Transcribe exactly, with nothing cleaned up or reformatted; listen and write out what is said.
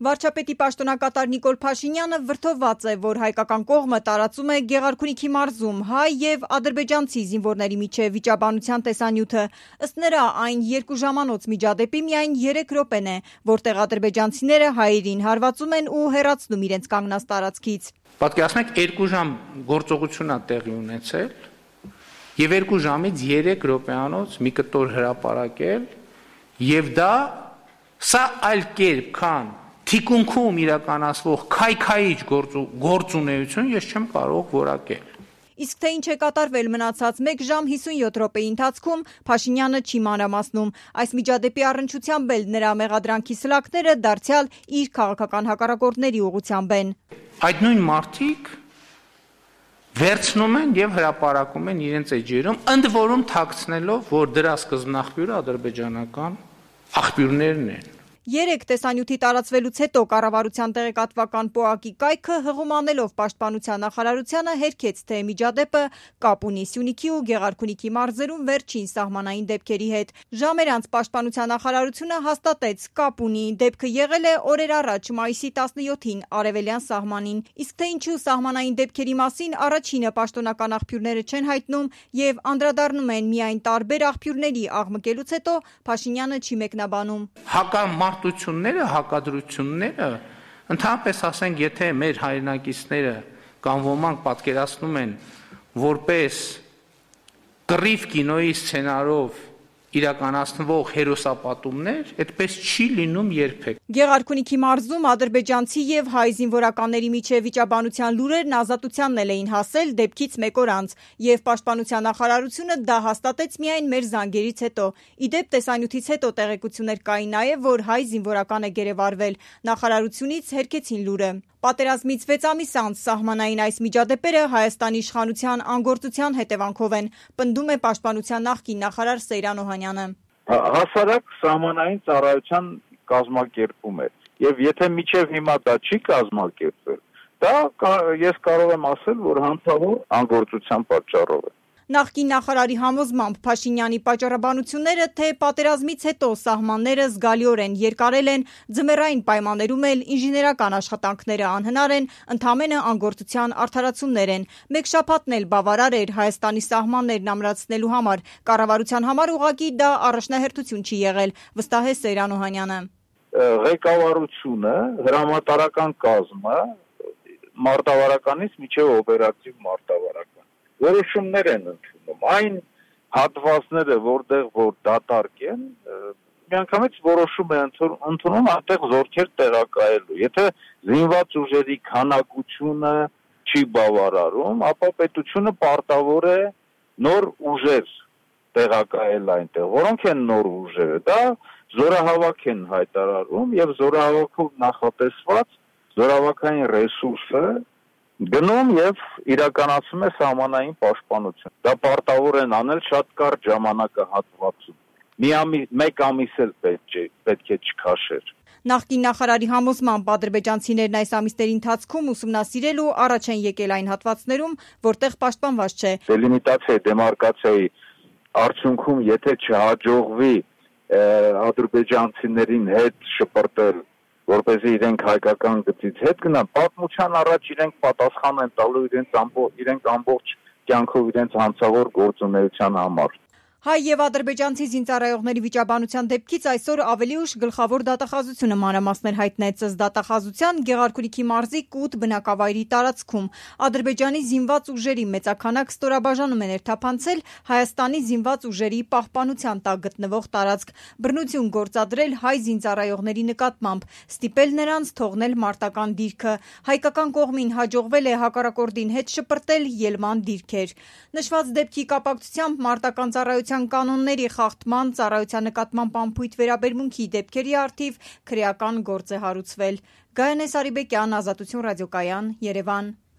Վարչապետի պաշտոնակատար Նիկոլ Փաշինյանը վրդովված է, որ հայկական կողմը տարածում է Գեղարքունիքի մարզում հայ եւ ադրբեջանցի զինվորների միջև վիճաբանության տեսանյութը։ Ըստ նրա, այն երկու ժամանոց միջադեպի միայն երեք րոպեն է, որտեղ ադրբեջանցիները հայերին հարվածում են ու հեռացնում իրենց կանգնած տարածքից։ Պատկերացնեք, երկու ժամ գործողություն է տեղի ունեցել եւ երկու ժամից երեք րոպեանոց մի կտոր հրապարակել եւ դա սա այլ կերպ քան թիկունքում իրականացվող քայքայիչ գործունեություն ես չեմ կարող որակել։ Իսկ թե ինչ է կատարվել մնացած մեկ ժամ հիսունյոթ րոպեի ընթացքում Փաշինյանը չի մանրամասնում։ Այս միջադեպի առնչությամբ էլ նրա մեղադրանքի սլաքները դարձյալ իր քաղաքական հակառակորդների ուղղությամբ են։ Այդ նույն մարդիկ վերցնում են եւ հրապարակում են իրենց էջերում, ընդ որում թաքցնելով, որ դրա սկզբնաղբյուրը ադրբեջանական աղբյուրներն են։ Երեք տեսանյութի տարածվելուց հետո կառավարության տեղեկատվական պոակի կայքը հղումանելով պաշտպանության նախարարությանը հերքեց, թե միջադեպը կապ ունի Սյունիքի ու Գեղարքունիքի մարզերում վերջին սահմանային դեպքերի հետ։ Ժամեր անց պաշտպանության նախարարությունը հաստատեց կապ ունի, դեպքը եղել է օրեր առաջ մայիսի տասնյոթին արևելյան սահմանին։ Իսկ թե ինչու սահմանային դեպքերի մասին առաջինը պաշտոնական աղբյուրները չեն հայտնում եւ անդրադառնում են միայն տարբեր աղբյուրների աղմկելուց հետո Փաշինյանը չի մեկնաբանում։ Մարտությունները, հակադրությունները, ընդհանրապես ասենք, եթե մեր հայրենակիցները կամ ոմանք պատկերացնում են որպես կռիվ կինոյի սցենարով իրականացնվող հերոսապատումներ, այդպես չի լինում երբեք։ Գեղարքունիքի մարզում ադրբեջանցի եւ հայ զինվորականների միջև վիճաբանության լուրերն ազատությանն էլ էին հասել դեպքից մեկ օր անց, եւ պաշտպանության նախարարությունը դա հաստատեց միայն մեր զանգերից հետո։ Իդեպ տեսանյութից հետո տեղեկություններ կային նաեւ, որ հայ զինվորական է գերեվարվել։ Նախարարությունից հերքեցին լուրը։ Պատերազմից վեց ամիս անց սահմանային այս միջադեպերը Հայաստանի իշխանության անգործության հետևանքով են, պնդում է պաշտպանության նախկին նախարար Սեյրան Օհանյանը։ Հասարակ սահմանային ծառայության կազմակերպում է, եւ եթե մինչեւ հիմա դա չի կազմակերպվել, դա ես կարող եմ ասել, որ հանցավոր անգործության պատճառով է։ Նախկին նախարարի համոզմամբ Փաշինյանի պատճառաբանությունները, թե պատերազմից հետո սահմանները զգալիորեն երկարել են, ձմեռային պայմաններում էլ ինժեներական աշխատանքները անհնար են, ընդամենը անգործության արդարացումներ են։ Մեկ շաբաթն էլ բավարար էր Հայաստանի սահմաններն ամրացնելու համար։ Կառավարության համար ուղղակի դա առաջնահերթություն չի եղել, վստահ է Սեյրան Օհանյանը։ Ղեկավարությունը, հրամանատարական կազմը մարտավարականից մինչև օպերատիվ մարտավարական որոշումներ են ընդունում, այն հատվածները, որտեղ որ դատարկ են, միանգամից որոշում է ընդունում այնտեղ զորքեր տեղակայելու։ Եթե զինված ուժերի քանակությունը չի բավարարում, ապա պետությունը պարտավոր է նոր ուժեր տեղակայել այնտեղ։ Որոնք են նոր ուժերը։ Դա զորահավաք են հայտարարում եւ զորահավաքով նախատեսված զորահավաքային ռեսուրսը գնում եւ իրականացում է սահմանային պաշտպանություն։ Դա պարտավոր են անել շատ կարճ ժամանակահատվածում։ Մի ամիս, մեկ ամիս էլ պետք է պետք է չքաշեր։ Նախկին նախարարի համոզմամբ ադրբեջանցիներն այս ամիսների ընթացքում ուսումնասիրել ու առաջ են եկել այն հատվածներում, որտեղ պաշտպանված չէ։ Դելիմիտացիայի, դեմարկացիայի արդյունքում, եթե չհաջողվի ադրբեջանցիներին հետ շպրտել, որպեսզի իրենք հայկական գծից հետ գնան, պատմության առաջ իրենք պատասխան են տալու իրենց ամբողջ իրենք ամբողջ կյանքով իրենց հանցավոր գործունեության համար։ Հայ եւ ադրբեջանցի զինծառայողների վիճաբանության դեպքից այսօր ավելի ուշ գլխավոր դատախազությունը մանրամասներ հայտնեց ըստ դատախազության Գեղարքունիքի մարզի Կուտ բնակավայրի տարածքում ադրբեջանի զինված ուժերի մեծաքանակ ստորաբաժանում են երթափանցել Հայաստանի զինված ուժերի պահպանության տակ գտնվող տարածք, բռնություն գործադրել հայ զինծառայողների նկատմամբ, ստիպել նրանց թողնել մարտական դիրքը։ Հայկական կողմին հաջողվել է հակառակորդին հետ շպրտել ելման դիրքեր։ Նշված դեպքի կապակցությամբ մարտական ծառայության կանոնների խախտման, ծառայության նկատմամբ անփույթ վերաբերմունքի դեպքերի առթիվ քրեական գործ է հարուցվել։ Գայանե Սարիբեկյան, Ազատություն ռադիոկայան, Երևան։